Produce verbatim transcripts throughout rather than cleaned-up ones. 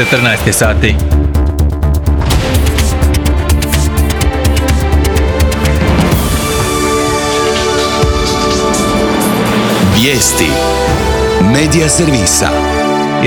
četrnaest sati. Vijesti Medija servisa.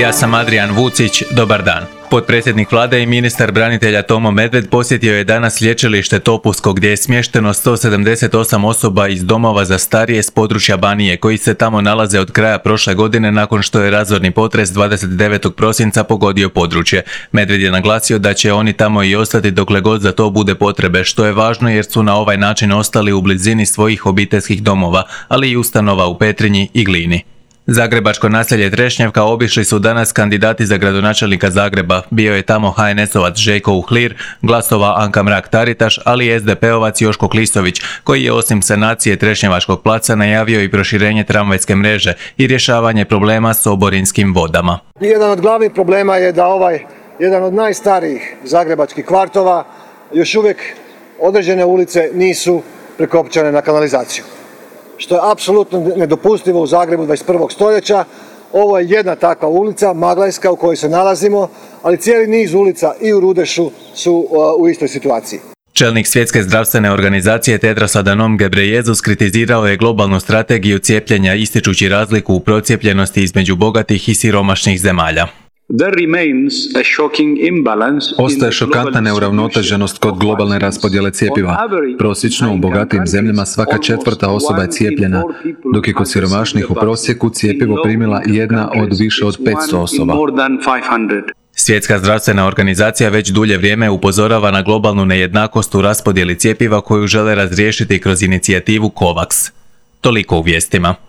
Ja sam Adrijan Vucić, dobar dan. Potpredsjednik vlade i ministar branitelja Tomo Medved posjetio je danas lječilište Topusko gdje je smješteno sto sedamdeset osam osoba iz domova za starije s područja Banije koji se tamo nalaze od kraja prošle godine nakon što je razorni potres dvadeset devetog prosinca pogodio područje. Medved je naglasio da će oni tamo i ostati dokle god za to bude potrebe, što je važno jer su na ovaj način ostali u blizini svojih obiteljskih domova, ali i ustanova u Petrinji i Glini. Zagrebačko naselje Trešnjevka obišli su danas kandidati za gradonačelnika Zagreba. Bio je tamo ha en esovac Željko Uhlir, Glasova Anka Mrak-Taritaš, ali i es de pe ovac Joško Klisović, koji je osim sanacije Trešnjevačkog placa najavio i proširenje tramvajske mreže i rješavanje problema s oborinskim vodama. Jedan od glavnih problema je da ovaj, jedan od najstarijih zagrebačkih kvartova, još uvijek određene ulice nisu prekopčane na kanalizaciju, što je apsolutno nedopustivo u Zagrebu dvadeset prvog stoljeća. Ovo je jedna takva ulica, Maglajska, u kojoj se nalazimo, ali cijeli niz ulica i u Rudešu su u istoj situaciji. Čelnik Svjetske zdravstvene organizacije Tedros Adhanom Ghebreyesus kritizirao je globalnu strategiju cijepljenja ističući razliku u procijepljenosti između bogatih i siromašnih zemalja. Ostaje šokantna neuravnoteženost kod globalne raspodjele cjepiva. Prosječno u bogatijim zemljama svaka četvrta osoba je cijepljena, dok je kod siromašnih u prosjeku cjepivo primila jedna od više od petsto osoba. Svjetska zdravstvena organizacija već dulje vrijeme upozorava na globalnu nejednakost u raspodjeli cjepiva koju žele razriješiti kroz inicijativu COVAX. Toliko u vijestima.